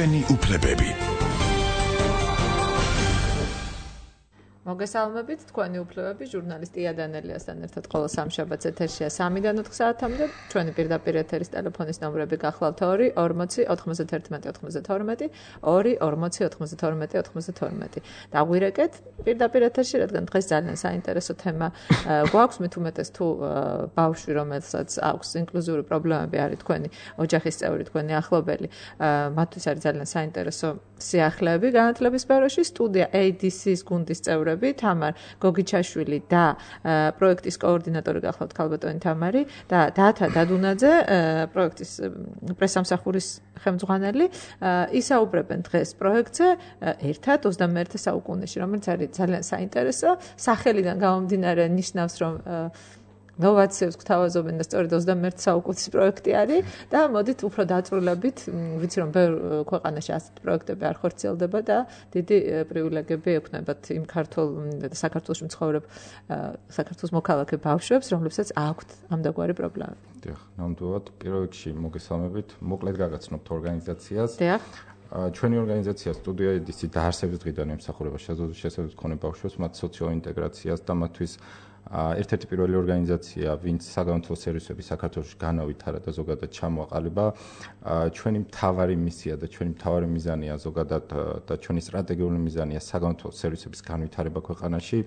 ჩვენი უფლებები. მოგესალმებით, თქვენი უფლებები ჟურნალისტი იანელიასთან ერთად ყოველ სამშაბათს ეთერშია 3-დან 4 საათამდე. ჩვენი პირდაპირ ეთერის ტელეფონის ნომრები გახლავთ 2 40 91 92 2 40 92 92. დაგვირეკეთ პირდაპირ ეთერში, რადგან დღეს ძალიან საინტერესო თემა გვაქვს, მით უმეტეს თუ ბავშვი, რომელსაც აქვს ინკლუზიური პრობლემები, არის თქვენი ოჯახის წევრი, თქვენი ახლობელი, მათთვის არის ძალიან საინტერესო სიახლეები განათლების სფეროში. სტუდია ADC-ის გუნდის წევრები თამარ გოგიჩაშვილი და პროექტის კოორდინატორი გახლავთ ქალბატონი თამარი და დათა დადუნაძე, პროექტის პრესამსახურის ხელმძღვანელი, ისაუბრებენ დღეს პროექტზე ერთად 21 საუკუნეში, რომელიც არის ძალიან საინტერესო. სახელიდან გამომდინარე ნიშნავს, რომ ნოვაციებს გვთავაზობენ და სწორედ 21 საუკუნის პროექტი არის და მოდით უფრო დაწვრილებით, ვიცი რომ ბევრ ქვეყანაში ასეთ პროექტები არ ხორციელდება და დიდი პრივილეგიები ექნებათ იმ ქართულ და საქართველოში მცხოვრებ საქართველოს მოქალაქე ბავშვებს, რომლებსაც აქვთ ამდაგვარი პრობლემები. დიახ, ნამდვილად პირველ რიგში მოგესალმებით, მოკლედ გაგაცნობთ ორგანიზაციას. დიახ. ჩვენი ორგანიზაცია სტუდია ADC დაარსების დღიდან ემსახურება შესაძლებლად მქონე ბავშვებს, მათ სოციალურ ინტეგრაციას და მათთვის ერთ-ერთი პირველი ორგანიზაცია, ვინც საგანმანათლებლო სერვისები საქართველოში განავითარა და ზოგადად ჩამოაყალიბა. ჩვენი მთავარი მისია და ჩვენი მთავარი მიზანია ზოგადად და ჩვენი სტრატეგიული მიზანია საგანმანათლებლო სერვისების განვითარება ქვეყანაში.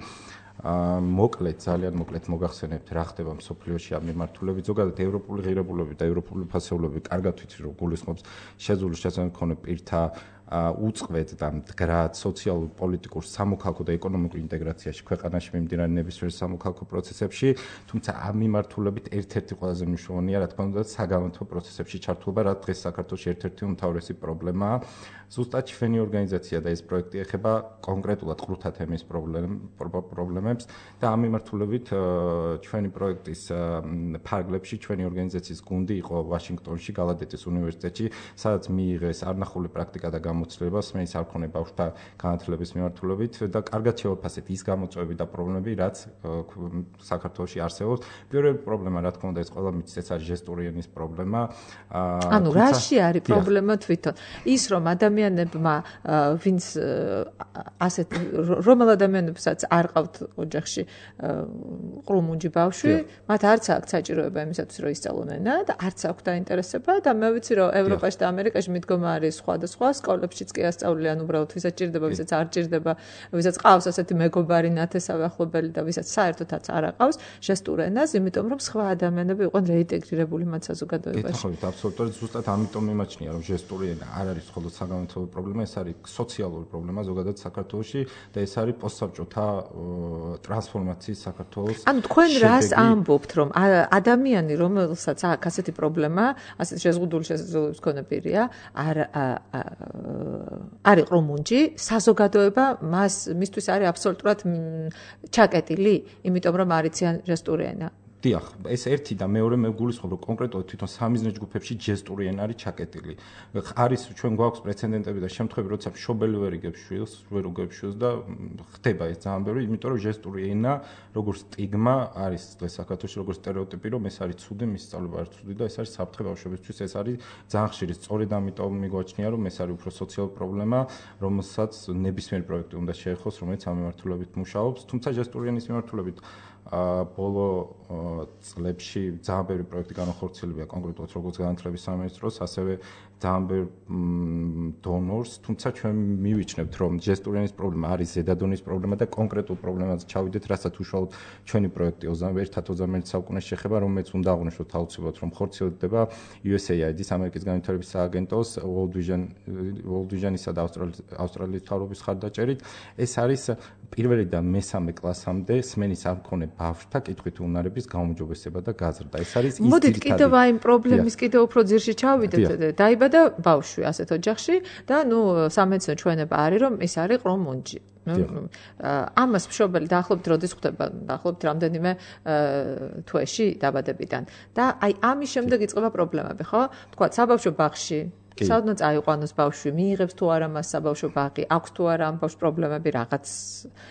მოკლედ, ძალიან მოკლედ მოგახსენებთ, რა ხდება მსოფლიოში ამ მიმართულებით. ზოგადად ევროპული ღირებულები და ევროპული ფასეულობები კარგად ვიცით, რომ გულისხმობს შეძლებული შესაძლებლად მქონე პირთა უწყვეტ და მდგრად სოციალურ, პოლიტიკურ, სამოქალაქო და ეკონომიკურ ინტეგრაციაში ქვეყანაში მიმდინარე ნებისმიერ სამოქალაქო პროცესებში, თუმცა ამ მიმართულებით ერთ-ერთი ყველაზე მნიშვნელოვანია, რა თქმა უნდა, საგანმანათლებლო პროცესებში ჩართულობა, რაც დღეს საქართველოში ერთ-ერთი უმთავრესი პრობლემაა. ზუსტად ჩვენი ორგანიზაცია და ეს პროექტი ეხება კონკრეტულად ყრუთა თემის პრობლემებს და ამ მიმართულებით ჩვენი პროექტის ფარგლებში ჩვენი ორგანიზაციის გუნდი იყო ვაშინგტონში, გალადეტის უნივერსიტეტში, სადაც მიიღეს არნახული პრაქტიკა და გამოცდილება სმენის არქონე ბავშვთა განათლების მიმართულებით და კარგად შევაფასეთ ის გამოწვევები და პრობლემები, რაც საქართველოში არსებობს. პირველი პრობლემა, რა თქმა უნდა, ეს ყველა მიცით, ეს არის ჟესტური ენის პრობლემა. ანუ რაში არის პრობლემა თვითონ? ის რომ ადამიანებმა, ვინც ასეთ რომელ ადამიანებსაც არ ყავთ ოჯახში ყრუმუნჯი ბავშვი, მათ არც აქვს საჭიროება იმისათვის, რომ ისწავლონ ენა და არც აქვს დაინტერესება და მე ვიცი, რომ ევროპაში და ამერიკაში მიდგომა არის სხვადასხვა, სკოლებშიც კი ასწავლიან უბრალოდ ვისაც ჭირდება, ვისაც არ ჭირდება, ვისაც ყავს ასეთი მეგობარი, ნათესავი ახლობელი და ვისაც საერთოდაც არ აყავს ჟესტურ ენას, იმიტომ რომ სხვა ადამიანები იყვნენ რეინტეგრირებული მათ საზოგადოებაში. გითხოვთ, აბსოლუტურად ზუსტად ამიტომ მიმაჩნია, რომ ჟესტური ენა არ არის მხოლოდ საგანმანათლებლო პრობლემა, ეს არის სოციალური პრობლემა ზოგადად საქართველოში და ეს არის პოსტსაბჭოთა ტრანსფორმაციის საქართველოს. ანუ თქვენ რას ამბობთ, რომ ადამიანი, რომელსაც აქვს ასეთი პრობლემა, ასეთი შეზღუდული შესაძლებლობების მქონე პირია, არის ყრუმუნჯი, საზოგადოება მისთვის არის აბსოლუტურად ჩაკეტილი, იმიტომ რომ არიციან ჟესტური ენა. დიახ, ეს ერთი და მეორე მე გულისხმობ, რომ კონკრეტულად თვითონ სამიზნე ჯგუფებში ჟესტური ენა არის ჩაკეტილი. არის ჩვენ გვაქვს პრეცედენტები და შემთხვევები, როცა მშობელი ვერ იგებს შვილს, ვერ უგებს შვილს და ხდება ეს ძალიან ბევრი, იმიტომ რომ ჟესტური ენა, როგორც სტიგმა არის დღეს საქართველოში, როგორც სტერეოტიპი, რომ ეს არის ცუდი, მის სწავლება არ ცუდი და ეს არის საფრთხე ბავშვებისთვის, ეს არის ძალიან ხშირი. სწორედ ამიტომ მიგვაჩნია, რომ ეს არის უფრო სოციალური პრობლემა, რომელსაც ნებისმიერ პროექტი უნდა შეეხოს, რომელიც ამ მიმართულებით მუშაობს, თუმცა ჟესტური ენის მიმართულებით ბოლო წლებში ძალიან ბევრი პროექტი განახორციელებია კონკრეტულად როგორც განათლების სამინისტროს, ასევე ძალიან ბევრ დონორს, თუმცა ჩვენ მივიჩნევთ, რომ ჟესტური ენის პრობლემა არის ზედადონის პრობლემა და კონკრეტულ პრობლემაზე ჩავიდეთ, რასაც უშუალოდ ჩვენი პროექტი 21 საუკუნეში ეხება, რომელიც უნდა აღვნიშნოთ აუცილებლად, რომ ხორციელდება USAID-ის ამერიკის განვითარების სააგენტოს World Vision-ისა და ავსტრალიის მთავრობის ხარდაჭერით. ეს არის პირველი და მესამე კლასამდე სმენის არ მქონე ბავშვთა კითხვით უნარების გაუმჯობესება და გაზრდა. ეს არის ის მოდით კიდევ აი იმ პრობლემის კიდევ უფრო ძირში ჩავიდეთ. დაიბადა ბავშვი ასეთ ოჯახში და სამეცნიერო ჩვენება არის, რომ ეს არის ყრუმუნჯი. ამას მშობელი დაახლოებით როდის ხვდება, დაახლოებით რამდენიმე თვეში დაბადებიდან. და აი ამის შემდეგ იწყება პრობლემები, ხო? თქვა საბავშვო ბაღში საერთოდ წაიყვანოს ბავშვი, მიიღებს თუ არა მას საბავშვო ბაღი, აქვს თუ არა ამ ბავშვს პრობლემები რაღაც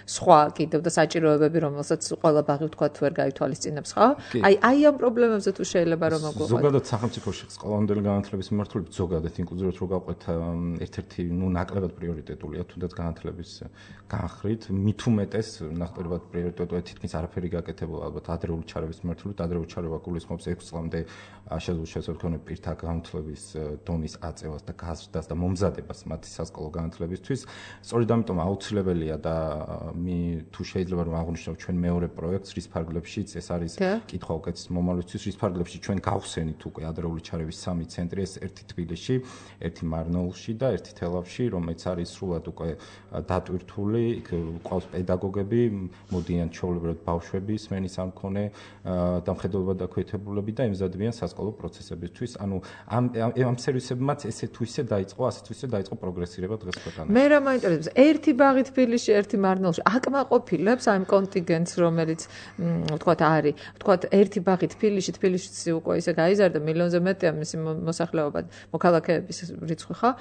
სხვა კიდევ და საჭიროებები, რომელსაც ყველა ბაღი ვთქვათ ვერ გაითვალისწინებს, ხო? აი ამ პრობლემებზე თუ შეიძლება რომ მოგვიყვანოთ. ზოგადად სახელმწიფოში სკოლამდელი განათლების მიმართულებით ზოგადად ინკლუზიურად რო გავყვეთ ერთ-ერთი ნაკლებად პრიორიტეტულია თუნდაც განათლების განხრით, მით უმეტეს ნაკლებად პრიორიტეტულია თითქმის არაფერი გაკეთებულა ალბათ ადრეული ჩარევის მიმართულებით, ადრეული ჩარევა გულისხმობს 6 წლამდე შესაძლოა მქონე პირთა განათლების დონის აწევას და გაზრდას და მომზადებას მათი სასკოლო განათლებისთვის. სწორედ ამიტომ აუცილებელია და თუ შეიძლება რომ აღვნიშნოთ ჩვენ მეორე პროექტს რის ფარგლებშიც ეს არის კითხვა უკეთეს მომავლისთვის რის ფარგლებში ჩვენ გავხსენით უკვე ადრეული ჩარევის 3 ცენტრი ეს ერთი თბილისში, ერთი მარნეულში და ერთი თელავში, რომელიც არის სრულად უკვე დატვირთული, იქ ყავს პედაგოგები, მოდიან ჩვეულებრივად ბავშვები, სმენის არ მქონე დამხედველობა დაქვეითებულები და ემზადებიან სასკოლო პროცესებისთვის. ანუ ამ სერვისებმაც ესე თუ ისე დაიწყო, ასე თუ ისე დაიწყო პროგრესირება დღეს ქვეყანაში. მე რა მაინტერესებს, ერთი ბაღი თბილისში, ერთი მარნეულში აკმაყოფილებს ამ კონტინგენტს, რომელიც ვთქვათ არის, ვთქვათ ერთი ბაღი თბილისში უკვე ისე გაიზარდა მილიონზე მეტია მისი მოსახლეობა, მოქალაქეების რიცხვი, ხო?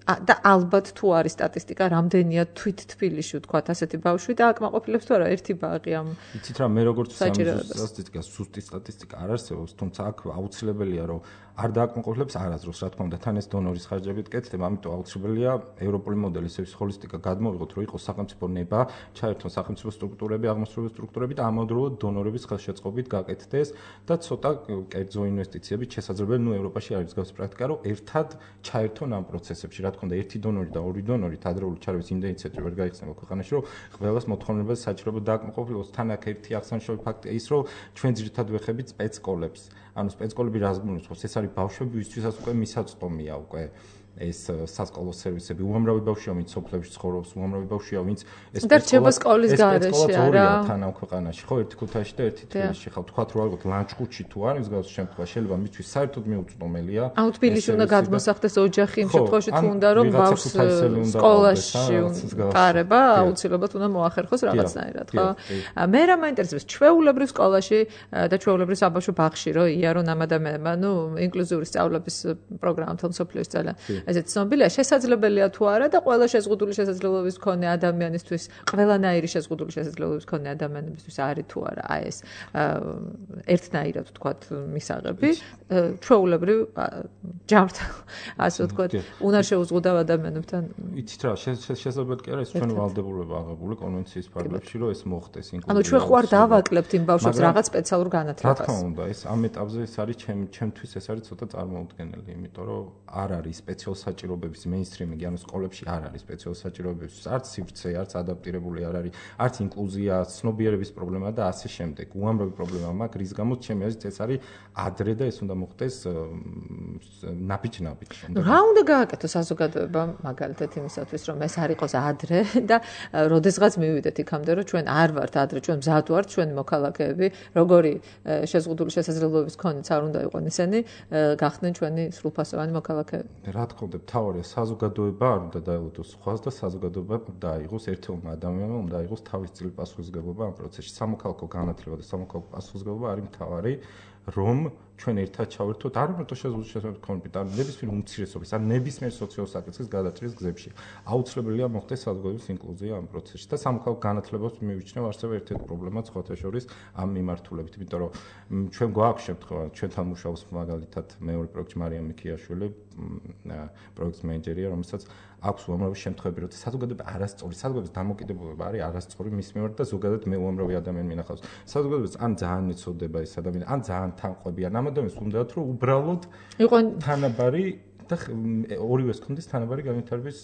და ალბათ თუ არის სტატისტიკა, რამდენია თვით თბილისში ვთქვათ ასეთი ბავშვი და აკმაყოფილებს თუ არა ერთი ბაღი ამ. იცით რა, მე როგორც სტატისტიკა, ზუსტი სტატისტიკა არ არსებობს, თუმცა აქ აუცილებელია რომ არ დააკმაყოფილებს არასდროს, რა თქმა უნდა, თან ეს დონორის ხარჯებით კეთდება, ამიტომ აუცილებელია ევროპული მოდელის ეს ჰოლისტიკა გადმოვიღოთ, რომ იყოს სახელმწიფო ნება, ჩაერთონ სახელმწიფო სტრუქტურები, აღმასრულებელი სტრუქტურები და ამავდროულად დონორების ხელშეწყობით გაკეთდეს და ცოტა კერძო ინვესტიციებით შესაძლებელი, ნუ ევროპაში არის მსგავსი პრაქტიკა, რომ ერთად ჩაერთონ ამ პროცესებში. რა თქმა უნდა, ერთი დონორი და ორი დონორი ადრეული ჩარევის იმდენი ცენტრი ვერ გაიხსნება ქვეყანაში, რომ ყველას მოთხოვნილებას საჭიროება დააკმაყოფილოს. თან აქ ერთი აღსანიშნავი ფაქტია ის, რომ ჩვენ ძირითადად ვეხებით სპეცსკოლებს. ანუ სპეცსკოლები რას გულისხმობს? ეს არის ბავშვები, ვისთვისაც უკვე მისაწვდომია უკვე ეს სასკოლო სერვისები. უამრავი ბავშვია, ვინც სოფლებში ცხოვრობს, უამრავი ბავშვია, ვინც ეს სკოლის გარეშე არა თან ამ ქვეყანაში, ხო, ერთი ქუთაისში და ერთი თბილისში. ხო, თქვათ რომ ალბათ ლანჩხუთში თუ არის მსგავსი შემთხვევა, შეიძლება მისთვის საერთოდ მიუწვდომელია. აუ თბილისში უნდა გადმოსახდეს ოჯახი იმ შემთხვევაში თუ უნდა რომ ბავშვს სკოლაში ტარება, აუცილებლად უნდა მოახერხოს რაღაცნაირად, ხო? მე რა მაინტერესებს, ჩვეულებრივ სკოლაში და ჩვეულებრივ საბავშვო ბაღში რო იარონ ამ ადამიანებმა, ნუ ინკლუზიური სწავლების პროგრამა თელ მსოფლიოს ძალიან ესეც ცნობილია, შესაძლებელია თუ არა და ყველა შეზღუდული შესაძლებლობის მქონე ადამიანისთვის, ყველანაირი შეზღუდული შესაძლებლობის მქონე ადამიანებისთვის არის თუ არა აი ეს ერთნაირად ვთქვათ მისაღები, ჩვეულებრივ ჯამრთელ, ასე ვთქვათ, უნარ შეუზღუდავ ადამიანებთან. იცით რა, შესაძლებელი კი არა ეს ჩვენ ვალდებულება აღებული კონვენციის ფარგლებში, რომ ეს მოხდეს ინკლუზიურად. ანუ ჩვენ ხوار დავაკლებთ იმ ბავშვებს რაღაც სპეციალურ განათლებას. რა თქმა უნდა, ეს ამ ეტაპზე ეს არის ჩემთვის ეს არის ცოტა წარმოუდგენელი, იმიტომ რომ არ არის სპეციალურ საჭიროებების მეინსტრიმინგი, ანუ სკოლებში არ არის სპეციალურ საჭიროებების, არც სივრცე, არც ადაპტირებული არ არის, არც ინკლუზია, ცნობიერების პრობლემა და ასე შემდეგ. უამრავი პრობლემა მაქვს, რის გამოც ჩემი აზრით ეს არის ადრე და ეს უნდა მოხდეს ნაბიჯ-ნაბიჯ. რა უნდა გააკეთოს საზოგადოებამ მაგალითად იმისათვის, რომ ეს არ იყოს ადრე და როდესღაც მივიდეთ იქამდე, რომ ჩვენ არ ვართ ადრე, ჩვენ მზად ვართ, ჩვენი მოქალაქეები, როგორი შეზღუდული შესაძლებლობების მქონეც არ უნდა იყვნენ ისინი, გახდნენ ჩვენი სრულფასოვანი მოქალაქეები. რა თქმა უნდა, თავარია საზოგადოება არ უნდა დაელოდოს სხვას და საზოგადოება უნდა აიღოს ერთ-ერთმა ადამიანმა უნდა აიღოს თავის წილი პასუხისმგებლობა ამ პროცესში. სამოქალაქო განათლება და სამოქალაქო პასუხისმგებლობა არის მთავარი, რომ ჩვენ ერთად ჩავერთოთ არ მარტო შეზღუდული შესაძლებლობების კონფლიქტი, ნებისმიერ უმცირესობის, ან ნებისმიერ სოციალურ საკითხის გადაჭრის გზებში. აუცილებელია მოხდეს საზოგადოების ინკლუზია ამ პროცესში და სამოქალაქო განათლებას მივიჩნევ არსებობს ერთ-ერთი პრობლემა სხვათა შორის ამ მიმართულებით, იმიტომ რომ ჩვენ გვაქვს შემთხვევა, ჩვენთან მუშაობს მაგალითად მეორე პროექტი მარიამ მიქიაშვილი, პროექტის მენეჯერია, რომელსაც აქვს უამრავი შემთხვევები, როცა საზოგადოება არასწორი, საზოგადოების დამოკიდებულება არის არასწორი მის მიმართ და ზოგადად მე უამრავი ადამიანი მინახავს. საზოგადოებას ან ძალიან ეცოდება ეს ადამიანი, ან ძალიან თანყვებიან. ამ ადამიანს უნდათ რომ უბრალოდ იყვნენ თანაბარი და ორივეს კონდეს თანაბარი განვითარების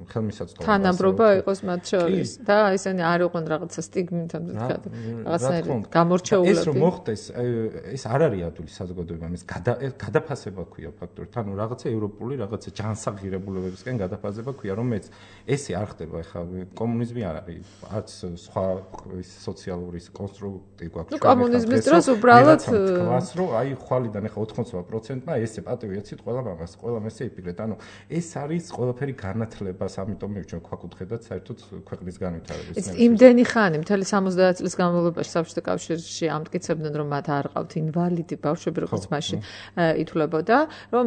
ხელმისაწვდომობა. თანაბრობა იყოს მათ შორის და ისინი არ იყვნენ რაღაცა სტიგმით ამ რაღაცნაირად გამორჩეულები. ეს რომ მოხდეს, ეს არ არის ადვილი საზოგადოებამ, ეს გადაფასება ქვია ფაქტორით. ანუ რაღაცა ევროპული, რაღაცა ჯანსაღირებულებებისკენ გადაფასება ქვია, რომელიც ესე არ ხდება, ხა კომუნიზმი არ არის, არც სხვა სოციალური კონსტრუქტი გვაქვს. ნუ კომუნიზმის დროს უბრალოდ თქვას რომ აი ხვალიდან ახლა 80%-მა ესე პატივი ეცით ყველა მამას ყველა მესე იპირეთ. ანუ ეს არის ყველაფერი განათლებას, ამიტომ მივჩვენ ქვაკუთხედად საერთოდ ქვეყნის განვითარების. იმდენი ხანი, მთელი 70 წლის განმავლობაში საბჭოთა კავშირში ამტკიცებდნენ, რომ მათ არ ყავთ ინვალიდი ბავშვები, როგორც მაშინ ითვლებოდა, რომ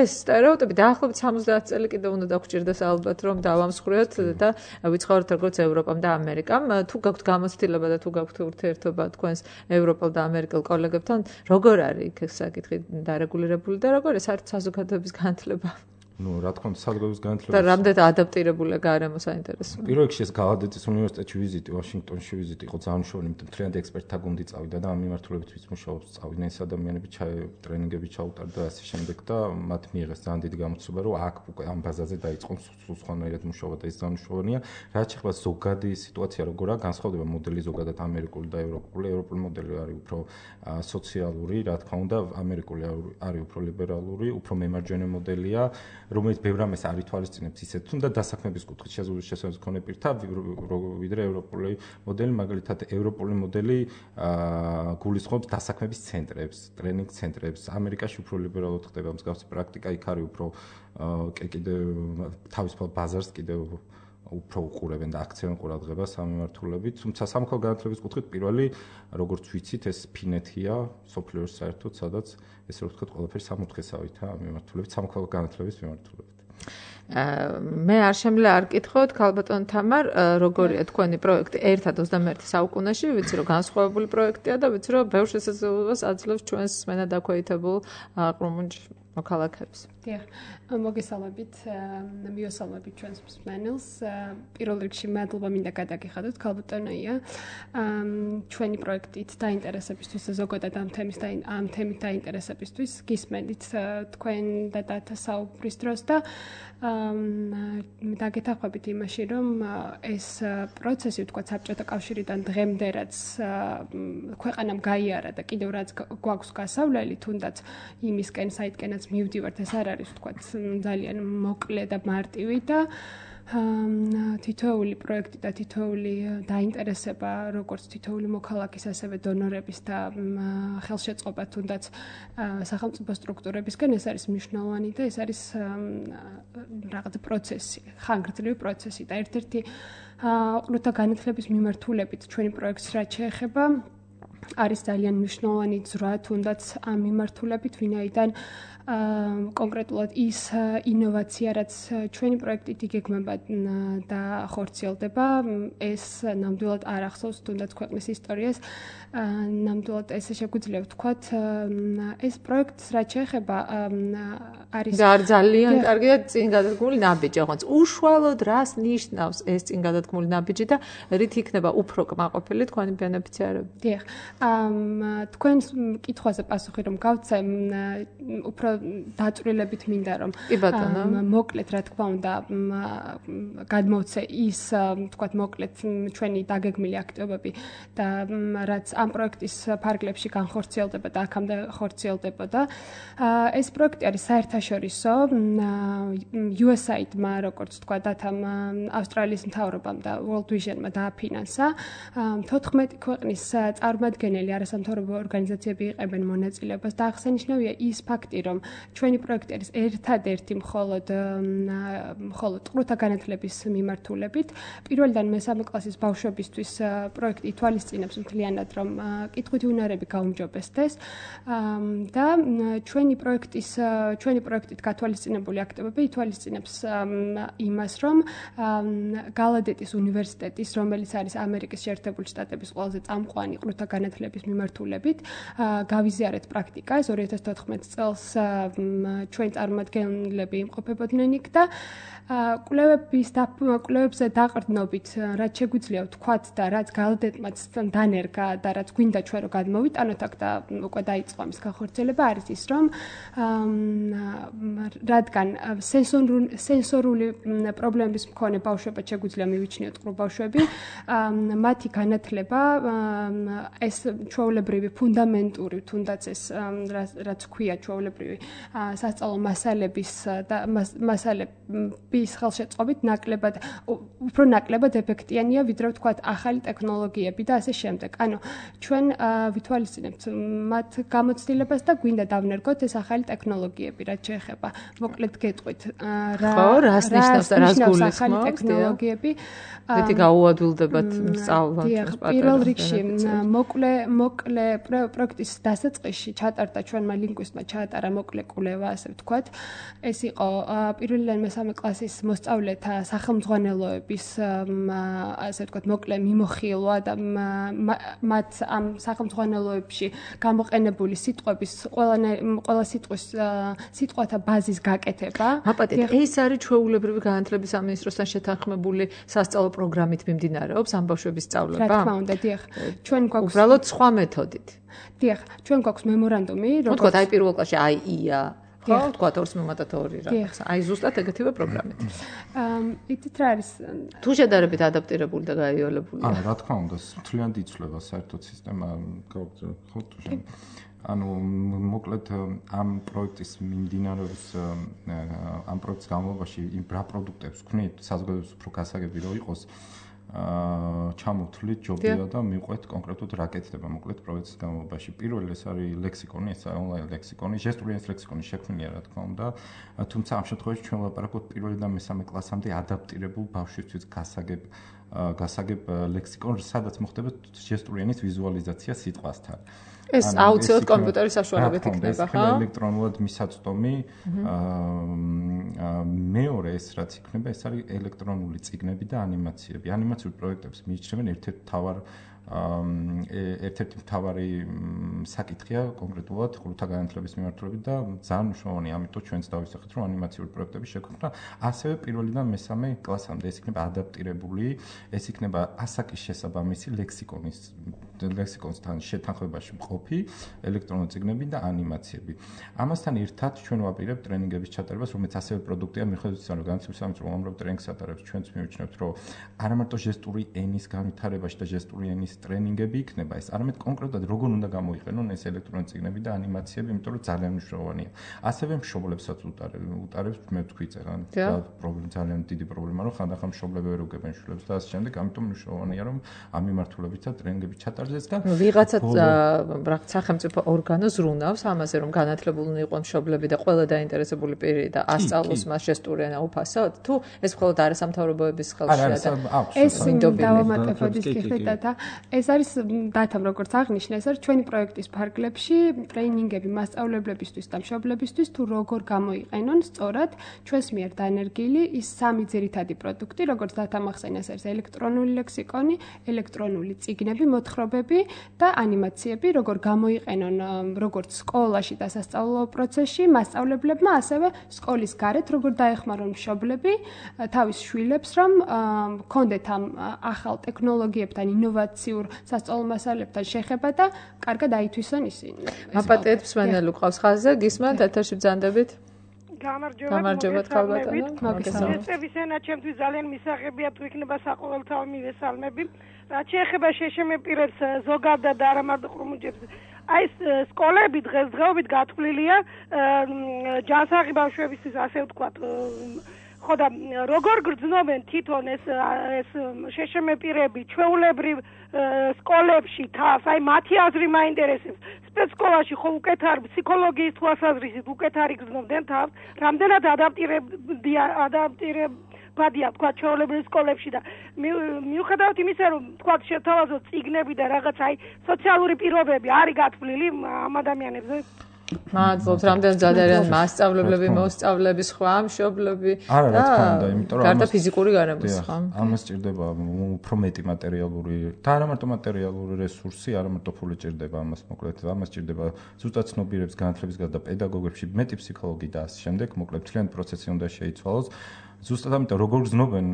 ეს სტერეოტიპი დაახლოებით 70 წელი კიდევ უნდა დაგჭირდეს ალბათ, რომ დავამსხვრიოთ და ვიცხოვროთ როგორც ევროპამ და ამერიკამ. თუ გაქვთ გამოცდილება და თუ გაქვთ ურთიერთობა თქვენს ევროპელ და ამერიკელ კოლეგებთან, როგორ არის იქ საკითხი დარეგულირებული და როგორ არის საერთოდ საზოგადოების განათლება? Ну, რა თქმა უნდა, საზოგადოების განათლება. და რამდენად ადაპტირებულია გარემო საინტერესოა. პირველ რიგში ეს გალადეთის უნივერსიტეტში ვიზიტი, ვაშინგტონში ვიზიტი იყო ძალიან მნიშვნელოვანი, იმიტომ რომ მთლიანად ექსპერტთა გუნდი წავიდა და ამ მიმართულებით ვიც მუშაობს, წავიდნენ ეს ადამიანები, ტრენინგები ჩაუტარდა და ასე შემდეგ და მათ მიიღეს ძალიან დიდი გამოცდილება, რომ აქ უკვე ამ ბაზაზე დაიწყონ სულ სხვანაირად მუშაობა და ეს ძალიან მნიშვნელოვანია. რაც შეეხება ზოგადი სიტუაცია როგორია, განსხვავდება მოდელი ზოგადად ამერიკული და ევროპული. ევროპული მოდელი არის უფრო სოციალური, რა თქმა უნდა, ამერიკული არის უფრო ლიბერალური, უფრო მემარჯვენე მოდელია. რომელიც ბევრ რამეს არ ითვალისწინებს ისეთ თუნდა დასაქმების კუთხით შესაძლებლობის მქონე პირთა ვიდრე ევროპული მოდელი, მაგალითად ევროპული მოდელი გულისხმობს დასაქმების ცენტრებს, ტრენინგ ცენტრებს. ამერიკაში უფრო ლიბერალურად ხდება მსგავსი პრაქტიკა, იქ არის უფრო კიდევ თავისუფალ ბაზარს კიდევ უფრო უყურებენ და აქცევენ ყურადღებას ამ მიმართულებით. თუმცა სამოქალაქო განათლების კუთხით პირველი, როგორც ვიცით, ეს ფინეთია, სოფლიოში საერთოდ, სადაც ესე რომ ვთქვათ, ყველაფერი სამოთხესავით ამ მიმართულებით, სამოქალაქო განათლების მიმართულებით. მე არ შემიძლია არ კითხოთ, ქალბატონ თამარ, როგორია თქვენი პროექტი ერთად 21 საუკუნეში, ვიცი რომ განსხვავებული პროექტია და ვიცი რომ ბევრ შესაძლებლობას აძლევს ჩვენს მენად დაქვეითებულ ყრუმუნჯ მოქალაქეებს. დიახ, მოგესალმებით, მიესალმებით ჩვენს მსმენელს. პირველ რიგში მადლობა მინდა გადაგიხადოთ ქალბატონია. ჩვენი პროექტით დაინტერესებისთვის და ზოგადად ამ თემით დაინტერესებისთვის გისმენთ თქვენ და დათა საუბრის დროს და დაგეთანხმებით იმაში, რომ ეს პროცესი, ვთქვათ, საბჭოთა კავშირიდან დღემდე რაც ქვეყანამ გაიარა და კიდევ რაც გვაქვს გასავლელი, თუნდაც იმისკენ, საიდკენაც მივდივართ, ეს არ არის, ვთქვათ, ძალიან მოკლე და მარტივი და თითოეული პროექტი და თითოეული დაინტერესება, როგორც თითოეული მოქალაქის, ასევე დონორების და ხელშეწყობა თუნდაც სახელმწიფო სტრუქტურებისგან, ეს არის მნიშვნელოვანი და ეს არის რაღაც პროცესი, ხანგრძლივი პროცესი და ერთ-ერთი ყრუთა განათლების მიმართულებით ჩვენი პროექტს რაც შეეხება არის ძალიან მნიშვნელოვანი ძრვა თუნდაც ამ მიმართულებით, ვინაიდან კონკრეტულად ის ინოვაცია, რაც ჩვენი პროექტით იგეგმება და ხორციელდება, ეს ნამდვილად არ ახსოვს თუნდაც ქვეყნის ისტორიას. ნამდვილად ესე შეგვიძლია ვთქვათ, ეს პროექტს რაც შეეხება არის ძალიან კარგია წინ გადადგმული ნაბიჯი, ოღონდ უშუალოდ რას ნიშნავს ეს წინ გადადგმული ნაბიჯი და რით იქნება უფრო კმაყოფილი თქვენი ბენეფიციარები? დიახ, თქვენს კითხვაზე პასუხი რომ გავცემ, უფრო დაწვრილებით მინდა რომ მოკლედ რა თქმა უნდა გადმოვცე ის ვთქვათ მოკლედ ჩვენი დაგეგმილი აქტივობები და რაც ამ პროექტის ფარგლებში განხორციელდება და აქამდე ხორციელდებოდა. ეს პროექტი არის საერთაშორისო USAID-მა, როგორც თქვა დათამ ავსტრალიის მთავრობამ და World Vision-მა დააფინანსა. 14 ქვეყნის წარმომადგენელი არასამთავრობო ორგანიზაციები იყებენ მონაწილეობას და აღსანიშნავია ის ფაქტი, რომ ჩვენი პროექტი არის ერთადერთი მხოლოდ ყრუთა განათლების მიმართულებით. პირველიდან მესამე კლასის ბავშვებისთვის პროექტი ითვალისწინებს მთლიანად, რომ კითხვით უნარები გაუმჯობესდეს და ჩვენი პროექტით გათვალისწინებული აქტივობები ითვალისწინებს იმას, რომ გალადეთის უნივერსიტეტის, რომელიც არის ამერიკის შეერთებული შტატების ყველაზე წამყვანი ყრუთა განათლების მიმართულებით, გავიზიარეთ პრაქტიკა, ეს 2014 წელს ჩვენი წარმომადგენლები იმყოფებოდნენ იქ და კვლევებზე დაყრდნობით, რაც შეგვიძლია ვთქვათ და რაც გალადეტმაც დანერგა და რაც გვინდა ჩვენ რომ გადმოვიტანოთ აქ და უკვე დაიწყო ამის განხორციელება, არის ის, რომ რადგან სენსორული პრობლემების მქონე ბავშვებად შეგვიძლია მივიჩნიოთ ყრუ ბავშვები, მათი განათლება ეს ჩვეულებრივი ფუნდამენტური, თუნდაც ეს რაც ქვია ჩვეულებრივი სასწავლო მასალების ხელშეწყობით უფრო ნაკლებად ეფექტიანია, ვიდრე ვთქვათ ახალი ტექნოლოგიები და ასე შემდეგ. ანუ ჩვენ ვითვალისწინებთ მათ გამოცდილებას და გვინდა დავნერგოთ ეს ახალი ტექნოლოგიები, რაც შეეხება. მოკლედ გეტყვით რას ნიშნავს და რას გულისხმობს ახალი ტექნოლოგიები. მეტი გაუადვილდებათ სწავლა. პირველ რიგში მოკლე პროექტის დასაწყისში ჩატარდა ჩვენმა ლინგვისტმა ჩაატარა მოკლე კვლევა, ასე ვთქვათ. ეს იყო პირველიდან მესამე კლასის მოსწავლეთა სახელმძღვანელოების ასე ვთქვათ მოკლე მიმოხილვა და მათ ამ სახელმძღვანელოებში გამოყენებული სიტყვების ყველა სიტყვათა ბაზის გაკეთება. აპატეთ, ეს არის ჩვეულებრივი განათლების სამინისტროსთან შეთანხმებული სასწავლო პროგრამით მიმდინარეობს ამ ბავშვების სწავლება? რა თქმა უნდა, დიახ. ჩვენ გვაქვს უბრალოდ სხვა მეთოდით. დიახ, ჩვენ გვაქვს მემორანდუმი, როგორც აი პირველ კლასში აი ია, ხო, თქვათ 2/2 რაღაც. აი ზუსტად ეგეთივე პროგრამით. იცით რა არის? თუ შედარებით ადაპტირებული და გაიოლებული. რა თქმა უნდა, თვლიანად იცვლება საერთოდ სისტემა, ხო, ანუ მოკლედ ამ პროექტის მიმდინარეობს ამ პროექტის განმავლობაში იმ რა პროდუქტებს ვქნით, საზოგადოების უფრო გასაგები რო იყოს, ჩამოვთვლით ჯობია და მიყვეთ კონკრეტულად რა კეთდება მოკლედ პროექტის განმავლობაში. პირველი ეს არის ლექსიკონი, ეს ონლაინ ლექსიკონი, ჟესტური ენის ლექსიკონი შექმნილია რა თქმა უნდა, თუმცა ამ შემთხვევაში ჩვენ ვლაპარაკობთ პირველიდან მესამე კლასამდე ადაპტირებულ ბავშვისთვის გასაგებ ლექსიკონს, სადაც მოხდება ჟესტური ენის ვიზუალიზაცია სიტყვასთან. ეს აუცილებლად კომპიუტერის საშუალებით იქნება, ხო? ელექტრონულად მისაწვდომი. მეორე ეს რაც იქნება, ეს არის ელექტრონული წიგნები და ანიმაციები. ანიმაციურ პროექტებს მიიჩნევენ ერთ-ერთი მთავარი საკითხია კონკრეტულად ხურთა განათლების მიმართულებით და ძალიან მნიშვნელოვანია, ამიტომ ჩვენც დავისახეთ, რომ ანიმაციური პროექტების შექმნა ასევე პირველიდან მესამე კლასამდე ეს იქნება ადაპტირებული, ეს იქნება ასაკის შესაბამისი ლექსიკონსთან შეთანხმებაში მყოფი ელექტრონული წიგნები და ანიმაციები. ამასთან ერთად ჩვენ ვაპირებთ ტრენინგების ჩატარებას, რომელიც ასევე პროდუქტია მიხედვით ისე, რომ განათლების სამინისტრო უამრავ ტრენინგს ატარებს, ჩვენც მივიჩნევთ, რომ არა მარტო ჟესტური ენის განვითარებაში და ჟესტური ენის ტრენინგები იქნება ეს, არამედ კონკრეტულად როგორ უნდა გამოიყენონ ეს ელექტრონული წიგნები და ანიმაციები, იმიტომ რომ ძალიან მნიშვნელოვანია. ასევე მშობლებსაც უტარებს, მე ვთქვი წერან, ძალიან დიდი პრობლემა, რომ ხანდახან მშობლები ვერ უგებენ შვილებს და ასე შემდეგ, ამიტომ მნიშვნელოვანია, რომ ამ მიმართულებითაც ტრენინგები ჩატარდეს და ვიღაცა რაღაც სახელმწიფო ორგანო ზრუნავს ამაზე, რომ განათლებულნი იყვნენ მშობლები და ყველა დაინტერესებული პირი და ასწავლოს მას ჟესტური ენა უფასოდ, თუ ეს მხოლოდ არასამთავრობოების ხელშია და ეს დავამატებოდის კითხვა. ეს არის დათამ როგორც აღნიშნე, ეს არის ჩვენი პროექტის ფარგლებში ტრეინინგები მასწავლებლებისთვის და მშობლებისთვის თუ როგორ გამოიყენონ სწორად ჩვენს მიერ დანერგილი ის სამი ძირითადი პროდუქტი, როგორც დათამ ახსენე, ეს არის ელექტრონული ლექსიკონი, ელექტრონული წიგნები, მოთხრობები და ანიმაციები, როგორ გამოიყენონ როგორც სკოლაში და სასწავლო პროცესში მასწავლებლებმა, ასევე სკოლის გარეთ როგორ დაეხმარონ მშობლები თავის შვილებს, რომ კონდეთ ამ ახალ ტექნოლოგიებთან ინოვაციურ სასწავლო მასალებთან შეხება და კარგად აითვისონ ისინი. აპატეთ მსმენელი ყავს ხაზზე, გისმენთ ეთერში ბრძანდებით? გამარჯობა ქალბატონო. ეს ენა ჩემთვის ძალიან მისაღებია თუ იქნება საყოველთაო მივესალმები. რაც შეეხება შეშემეპირებს ზოგადად და არა მარტო ხრუმუჯებს. აი სკოლები დღესდღეობით გათვლილია ჯანსაღი ბავშვებისთვის, ასე ვთქვათ, ხო და როგორ გრძნობენ თვითონ ეს შეშემეპირები ჩვეულებრივ სკოლებში თავს, აი მათი აზრი მაინტერესებს. სპეცსკოლაში ხო უკეთ არის ფსიქოლოგიის თვალსაზრისით უკეთ არის გრძნობდნენ თავს, რამდენად ადაპტირებადია თქვა ჩვეულებრივ სკოლებში და მიუხედავად იმისა, რომ თქვა შეთავაზოთ წიგნები და რაღაც აი სოციალური პირობები არის გათვლილი ამ ადამიანებზე. მადლობთ, რამდენ ზადარიან მასწავლებლები, მოსწავლეები, სხვა მშობლები და გარდა ფიზიკური გარემოს ხო? ამას ჭირდება უფრო მეტი მატერიალური და არა მარტო მატერიალური რესურსი, არა მარტო ფული ჭირდება ამას, მოკლედ ამას ჭირდება ზუსტად ცნობიერებს განათლების გარდა პედაგოგებში, მეტი ფსიქოლოგი და ასე შემდეგ, მოკლედ მთლიანი პროცესი უნდა შეიცვალოს. ზუსტად ამიტომ როგორ გრძნობენ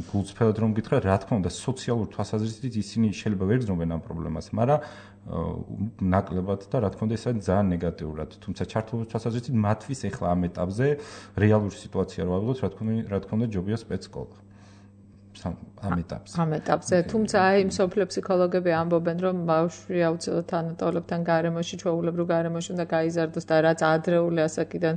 გულწრფელად რომ გითხრა, რა თქმა უნდა, სოციალურ თვალსაზრისით ისინი შეიძლება ვერ გრძნობენ ამ პრობლემას, მაგრამ ნაკლებად და რა თქმა უნდა ეს არის ძალიან ნეგატიურად. თუმცა ჩართულობის თვალსაზრისით მათთვის ახლა ამ ეტაპზე რეალური სიტუაცია რო ავიღოთ, რა თქმა უნდა ჯობია სპეცსკოლა. ამ ეტაპზე. თუმცა აი მსოფლიო ფსიქოლოგები ამბობენ, რომ ბავშვი აუცილებლად თანატოლებთან გარემოში, ჩვეულებრივ გარემოში უნდა გაიზარდოს და რაც ადრეული ასაკიდან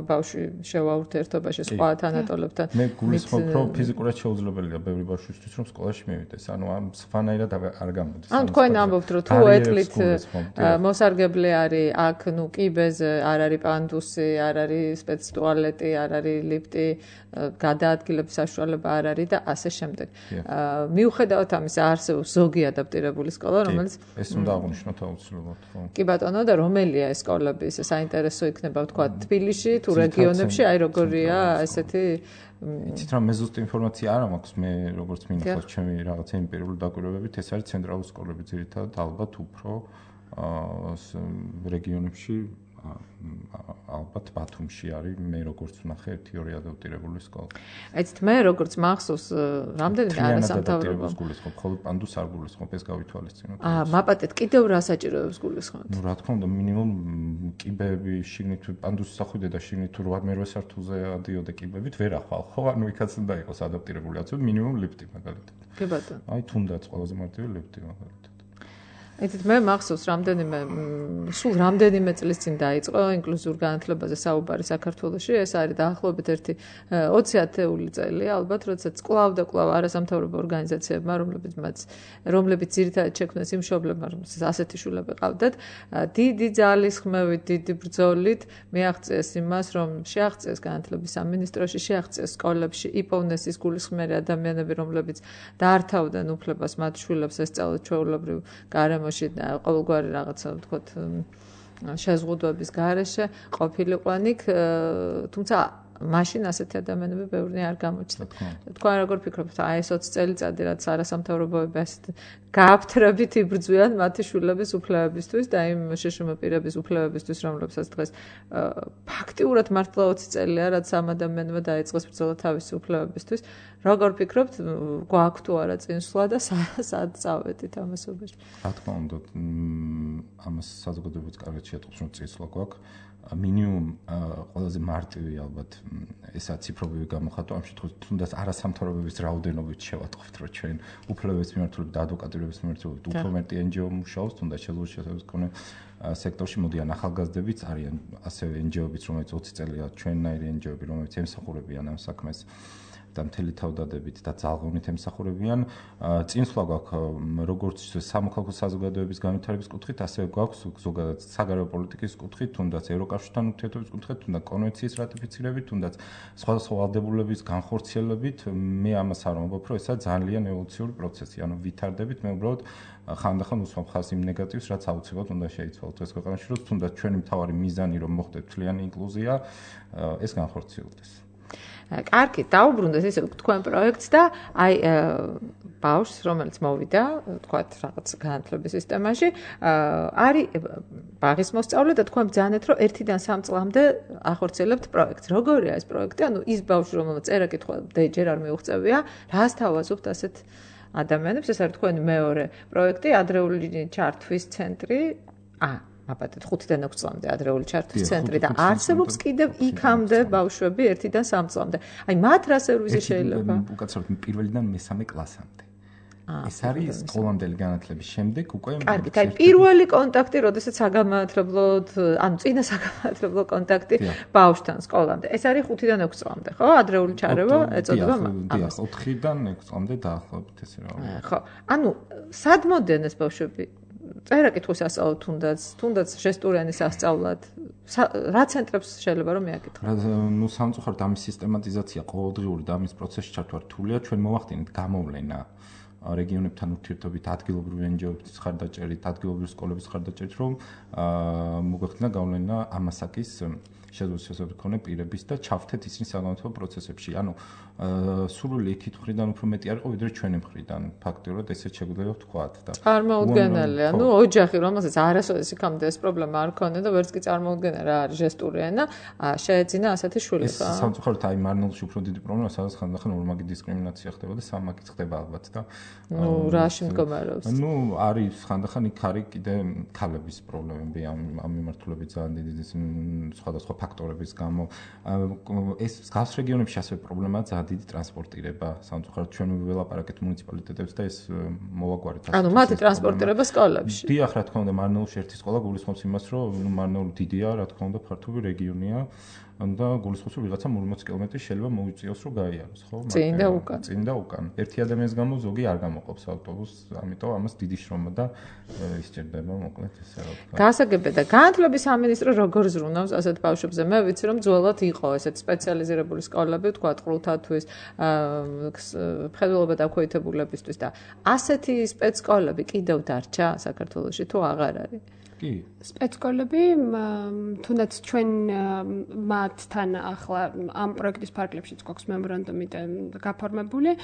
ბავშვი შევაურთერთობაში სხვა თანატოლებთან. მე გულისხმობ, რომ ფიზიკურად შეუძლებელია ბევრი ბავშვისთვის, რომ სკოლაში მივიდეს. ანუ ამ სხვანაირად არ გამოდის. ანუ თქვენ ამბობთ, რომ თუ ეთლით მოსარგებლე არის, აქ კიბეზე არ არის პანდუსი, არ არის სპეცტუალეტი, არ არის ლიფტი, გადაადგილების საშუალება არ არის და ასე შემდეგ. მიუხედავად ამისა, არსებობს ზოგი ადაპტირებული სკოლა, რომელიც ეს უნდა აღვნიშნოთ აუცილებლად, ხო. კი ბატონო, და რომელია ეს სკოლები, ეს საინტერესო იქნება ვთქვა თბილისში თუ რეგიონებში, აი როგორია ესეთი იცით რა, მე ზუსტ ინფორმაცია არ მაქვს, მე როგორც მინახავს ჩემი რაღაცა იმპერიული დაკვირვებებით, ეს არის ცენტრალური სკოლები ძირითადად ალბათ უფრო რეგიონებში ალბათ ბათუმში არის მე როგორც ვნახე 1-2 ადაპტირებული სკოლა. აიცით მე როგორც მახსოვს რამდენი არასამთავრობო სკოლის ხოლმე პანდუს არ გულისხმობ ეს გავითვალისწინოთ. მაპატეთ კიდევ რა საჭიროებს გულისხმობთ? ნუ რა თქმა უნდა მინიმუმ კიბეები შიგნით პანდუსი სახვიდე და შიგნით თუ 8-9 სართულზე ადიოდე კიბებით ვერ ახვალ ხო ანუ იქაც უნდა იყოს ადაპტირებული აცო მინიმუმ ლიფტი მაგალითად. კი ბატონო. აი თუნდაც ყველაზე მარტივი ლიფტი მაგალითად. იცით მე მახსოვს სულ რამდენიმე წლის წინ დაიწყო ინკლუზიურ განათლებაზე საუბარი საქართველოში. ეს არის დაახლოებით 20 ათეული წელი ალბათ, როდესაც კვლავ და კვლავ არასამთავრობო ორგანიზაციებმა, რომლებიც ძირითადად შექმნეს იმ მშობლებმა, რომელსაც ასეთი შვილები ყავდათ, დიდი ძალისხმევით, დიდი ბრძოლით მიაღწიეს იმას, რომ შეაღწიეს განათლების სამინისტროში, შეაღწიეს სკოლებში, იპოვნეს ის გულისხმიერი ადამიანები, რომლებიც დაართავდნენ უფლებას მათ შვილებს ესწავლათ ჩვეულებრივ გარემოში ყოველგვარი რაღაცა ვთქვათ შეზღუდვების გარეშე ყოფილიყვან იქ, თუმცა მაშინ ასეთი ადამიანები ბევრი არ გამოჩნდა. თქვენ როგორ ფიქრობთ, აი ეს 20 წელიწადი რაც არასამთავრობოები ასეთ გააფთრებით იბრძვიან მათი შვილების უფლებებისთვის და იმ შეშმ პირების უფლებებისთვის, რომლებსაც დღეს ფაქტიურად მართლა 20 წელია, რაც ამ ადამიანმა დაიწყეს ბრძოლა თავისი უფლებებისთვის. როგორ ფიქრობთ, გვაქვს თუ არა წინსვლა და სად წავედით ამასობაში? რა თქმა უნდა, ამას საზოგადოებაც კარგად შეატყობს, რომ წინსვლა გვაქვს. მინიმუმ ყველაზე მარტივი ალბათ ესა ციფრობრივი გამოხატვა ამ შემთხვევაში თუნდაც არასამთავრობოების რაოდენობით შევატყობთ რომ ჩვენ უფლებების მიმართულებით და ადვოკატირების მიმართულებით უფრო მეტი NGO მუშაობს თუნდაც შესაძლებლობის მქონე სექტორში მოდიან ახალგაზრდებიც არიან ასევე NGO-ებიც რომელიც 20 წელია ჩვენნაირი NGO-ები რომელიც ემსახურებიან ამ საქმეს და მთელი თავდადებით და ძალღონით ემსახურებიან. წინსვლა გვაქვს როგორც სამოქალაქო საზოგადოების განვითარების კუთხით, ასევე გვაქვს ზოგადად საგარეო პოლიტიკის კუთხით, თუნდაც ევროკავშირთან ურთიერთობის კუთხით, თუნდაც კონვენციის რატიფიცირებით, თუნდაც სხვადასხვა ვალდებულების განხორციელებით. მე ამას არ ვამბობ, რომ ესა ძალიან ევოლუციური პროცესი, ანუ ვითარდებით, მე უბრალოდ ხანდახან უსვამთ ხაზს იმ ნეგატივს, რაც აუცილებლად უნდა შეიცვალოს ეს ქვეყანაში, რომ თუნდაც ჩვენი მთავარი მიზანი რომ მოხდეს მთლიანი ინკლუზია, ეს განხორციელდეს. კარგი, დაუბრუნდეთ ესე თქვენ პროექტს და აი ბავშვს, რომელიც მოვიდა, თქვათ რაღაც განათლების სისტემაში, არის ბაღის მოსწავლე და თქვენ ბრძანეთ, რომ 1-დან 3 წლამდე ახორციელებთ პროექტს. როგორია ეს პროექტი? ანუ ის ბავშვი, რომელსაც წერა-კითხვა ჯერ არ მიუღწევია, რას თავაზობთ ასეთ ადამიანებს? ეს არის თქვენი მეორე პროექტი, ადრეული ჩართვის ცენტრი. მაპატეთ 5-დან 6 წლამდე ადრეული ჩართვის ცენტრი და არსებობს კიდევ იქამდე ბავშვები 1-დან 3 წლამდე. აი მათ რა სერვისი შეიძლება? უკაცრავად 1-დან მესამე კლასამდე. ეს არის სკოლამდელი განათლების შემდეგ უკვე კარგი, აი პირველი კონტაქტი, როდესაც საგანმანათლებლოდ, ანუ წინა საგანმანათლებლო კონტაქტი ბავშვთან სკოლამდე. ეს არის 5-დან 6 წლამდე, ხო? ადრეული ჩარევა ეწოდება ამას. 4-დან 6 წლამდე დაახლოებით ესე რა. ხო. ანუ სად მოდიან ეს ბავშვები? წერა-კითხვის ასწავლად თუნდაც ჟესტურიანი სასწავლად რა ცენტრებს შეიძლება რომ მიაკითხოთ? ნუ სამწუხაროდ ამის სისტემატიზაცია ყოველდღიური და ამის პროცესში ჩართვა რთულია. ჩვენ მოვახდინეთ გამოვლენა რეგიონებთან ურთიერთობით, ადგილობრივი NGO-ების ხარდაჭერით, ადგილობრივი სკოლების ხარდაჭერით, რომ მოგვეხდინა გამოვლენა ამასაკის შესაძლებლობის მქონე პირების და ჩავთეთ ისინი საგანმანათლებლო პროცესებში. ანუ სრული იქით მხრიდან უფრო მეტი არ იყო, ვიდრე ჩვენი მხრიდან. ფაქტიურად ესეც შეგვიძლია ვთქვათ და წარმოუდგენელია. ანუ ოჯახი, რომელსაც არასოდეს იქამდე ეს პრობლემა არ ქონდა და ვერც კი წარმოუდგენა რა არის ჟესტური ენა, შეეძინა ასეთი შვილები. ეს სამწუხაროდ აი მარნეულში უფრო დიდი პრობლემაა, სადაც ხანდახან ორმაგი დისკრიმინაცია ხდება და სამმაგიც ხდება ალბათ და რაში მდგომარეობს? ნუ არის ხანდახან იქ არის კიდე ქალების პრობლემები ამ მიმართულებით ძალიან დიდი სხვადასხვა ფაქტორების გამო. ეს გავს რეგიონებში ასევე პრობლემაა ძალიან დიდი ტრანსპორტირება. სამწუხაროდ ჩვენ ველაპარაკეთ მუნიციპალიტეტებს და ეს მოვაგვარეთ. ანუ მათი ტრანსპორტირება სკოლებში. დიახ, რა თქმა უნდა, მარნეულში ერთი სკოლა გულისხმობს იმას, რომ მარნეული დიდია, რა თქმა უნდა, ფართობი რეგიონია. და გულისხმობს რომ ვიღაცა 40 კილომეტრი შეიძლება მოიწიოს რომ გაიაროს, ხო? წინ და უკან. წინ და უკან. ერთი ადამიანის გამო ზოგი არ გამოყოფს ავტობუსს, ამიტომ ამას დიდი შრომა და ისჭირდება, მოკლედ ესე რა ვთქვა. გასაგებია და განათლების სამინისტრო როგორ ზრუნავს ასეთ ბავშვებზე? მე ვიცი რომ ძველად იყო ესეთ სპეციალიზირებული სკოლები, თქვა ყრუთათვის, მხედველობა დაქვეითებულებისთვის და ასეთი სპეცსკოლები კიდევ დარჩა საქართველოში თუ აღარ არის? კი. სპეცსკოლები თუნდაც ჩვენ მათთან ახლა ამ პროექტის ფარგლებშიც გვაქვს მემორანდუმი გაფორმებული.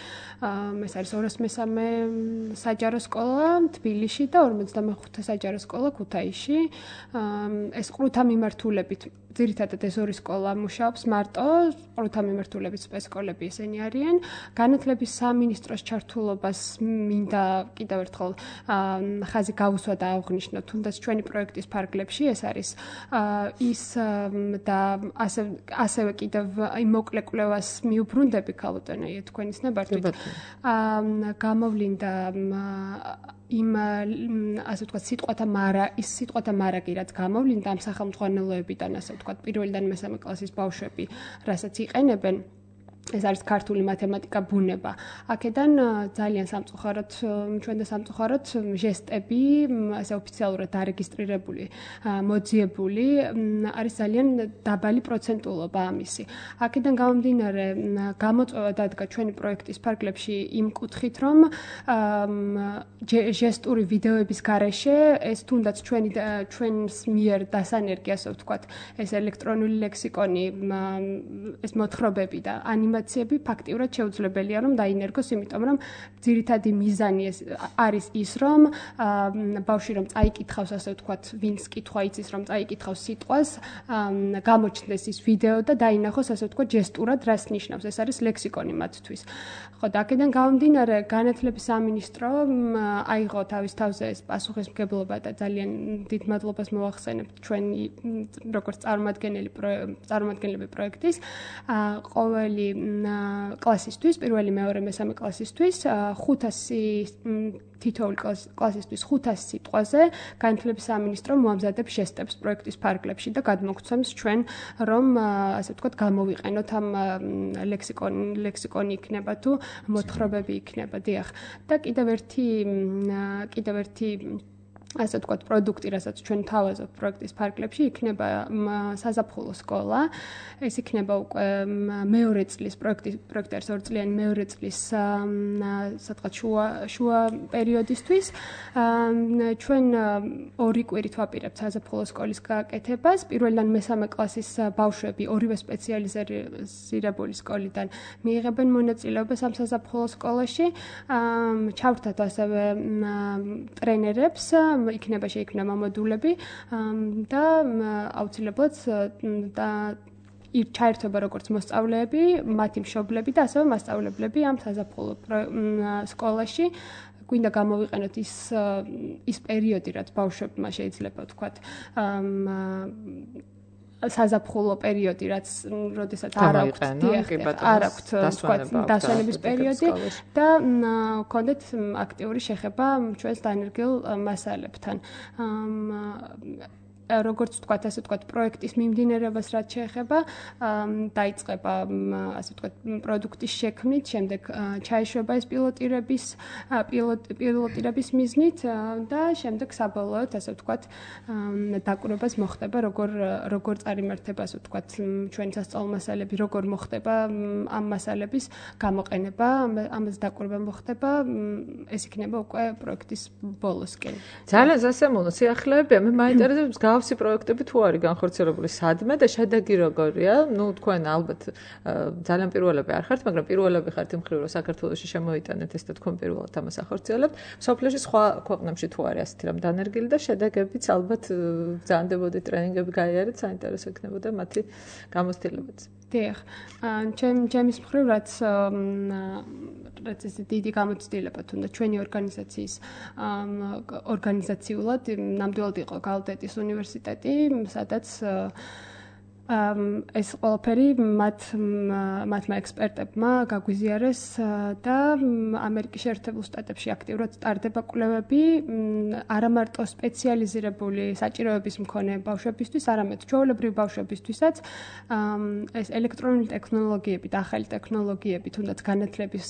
ეს არის 203 საჯარო სკოლა თბილისში და 55 საჯარო სკოლა ქუთაისში. ეს ყრუთა მიმართულებით ძირითადად ეს ორი სკოლა მუშაობს მარტო, ყრუთა მიმართულებით სპეცსკოლები ესენი არიან. განათლების სამინისტროს ჩართულობას მინდა კიდევ ერთხელ ხაზი გავუსვა და აღვნიშნო, თუნდაც ჩვენი პროექტის ფარგლებში ეს არის ის და ასევე კიდევ იმ მოკლე კვლევას მიუბრუნდები ქალბატონია თქვენის ნებართვით. გამოვლინდა იმ ასე ვთქვათ სიტყვათა მარაგი რაც გამოვლინდა ამ სახელმძღვანელოებიდან ასე ვთქვათ პირველიდან მესამე კლასის ბავშვები რასაც იყენებენ ეს არის ქართული მათემატიკა ბუნება. აქედან ძალიან სამწუხაროდ ჩვენ და სამწუხაროდ ჟესტები ასე ოფიციალურად დარეგისტრირებული, მოძიებული არის ძალიან დაბალი პროცენტულობა ამისი. აქედან გამომდინარე გამოწვევა დადგა ჩვენი პროექტის ფარგლებში იმ კუთხით, რომ ჟესტური ვიდეოების გარეშე ეს თუნდაც ჩვენს მიერ დასანერგი ასე ვთქვათ, ეს ელექტრონული ლექსიკონი, ეს მოთხრობები და ანიმაციები ფაქტიურად შეუძლებელია რომ დაინერგოს, იმიტომ რომ ძირითადი მიზანი არის ის, რომ ბავშვი რომ წაიკითხავს ასე ვთქვათ, ვინც კითხვა იცის რომ წაიკითხავს სიტყვას, გამოჩნდეს ის ვიდეო და დაინახოს ასე ვთქვათ ჟესტურად რას ნიშნავს. ეს არის ლექსიკონი მათთვის. ხო, და აქედან გამომდინარე განათლების სამინისტრო აიღო თავის თავზე ეს პასუხისმგებლობა და ძალიან დიდ მადლობას მოვახსენებთ ჩვენი როგორც წარმომადგენლები პროექტის ყოველი კლასისთვის, პირველი, მეორე, მესამე კლასისთვის 500 თითოეული კლასისთვის 500 სიტყვაზე განათლების სამინისტრო მოამზადებს ჟესტებს პროექტის ფარგლებში და გადმოგცემს ჩვენ რომ ასე ვთქვათ გამოვიყენოთ ამ ლექსიკონი იქნება თუ მოთხრობები იქნება, დიახ. და კიდევ ერთი ასე ვთქვათ პროდუქტი, რასაც ჩვენ თავაზობთ პროექტის ფარგლებში, იქნება საზაფხულო სკოლა. ეს იქნება უკვე მეორე წლის პროექტი არის 2 წლიანი მეორე წლის სადღაც შუა პერიოდისთვის. ჩვენ 2 კვირით ვაპირებთ საზაფხულო სკოლის გაკეთებას. პირველიდან მესამე კლასის ბავშვები ორივე სპეციალიზირებული სკოლიდან მიიღებენ მონაწილეობას ამ საზაფხულო სკოლაში. ჩავრთათ ასევე ტრენერებს, შეიქმნება მოდულები და აუცილებლად ჩაერთვება როგორც მოსწავლეები, მათი მშობლები და ასევე მასწავლებლები ამ საზაფხულო სკოლაში. გვინდა გამოვიყენოთ ის პერიოდი, რაც ბავშვებმა შეიძლება ვთქვათ საზაფხულო პერიოდი, როდესაც არ აქვთ დასვენების პერიოდი და გქონდეთ აქტიური შეხება ჩვენს დანერგილ მასალებთან. როგორც ვთქვათ, ასე ვთქვათ, პროექტის მიმდინარეობას რაც შეეხება, დაიწყება ასე ვთქვათ პროდუქტის შექმნით, შემდეგ ჩაეშვება ეს პილოტირების მიზნით და შემდეგ საბოლოოდ ასე ვთქვათ დაკვირვებას მოხდება, როგორ წარიმართება ასე ვთქვათ ჩვენი სასწავლო მასალები, როგორ მოხდება ამ მასალების გამოყენება, ამას დაკვირვება მოხდება, ეს იქნება უკვე პროექტის ბოლოსკენ. ძალიან სასიამოვნო სიახლეებია, მე მაინტერესებს მსგავსი პროექტები თუ არის განხორციელებული სადმე და შედეგი როგორია? ნუ თქვენ ალბათ ძალიან პირველები არ ხართ, მაგრამ პირველები ხართ იმ მხრივ, რომ საქართველოში შემოიტანეთ ეს და თქვენ პირველად ამას ახორციელებთ. სოფლიოში სხვა ქვეყნებში თუ არის ასეთი რამ დანერგილი და შედეგებიც ალბათ ბრძანდებოდით, ტრენინგები გაიარეთ, საინტერესო იქნებოდა მათი გამოცდილებაც. დიახ. ჩემის მხრივ რაც ეს დიდი გამოცდილება თუნდა ჩვენი ორგანიზაციის ორგანიზაციულად ნამდვილად იყო გალდეტის უნივერსიტეტი, სადაც ეს ყველაფერი მათმა ექსპერტებმა გაგვიზიარეს და ამერიკის შეერთებულ შტატებში აქტიურად ტარდება კვლევები არა მარტო სპეციალიზირებული საჭიროების მქონე ბავშვებისთვის, არამედ ჩვეულებრივი ბავშვებისთვისაც ეს ელექტრონული ტექნოლოგიები და ახალი ტექნოლოგიები თუნდაც განათლების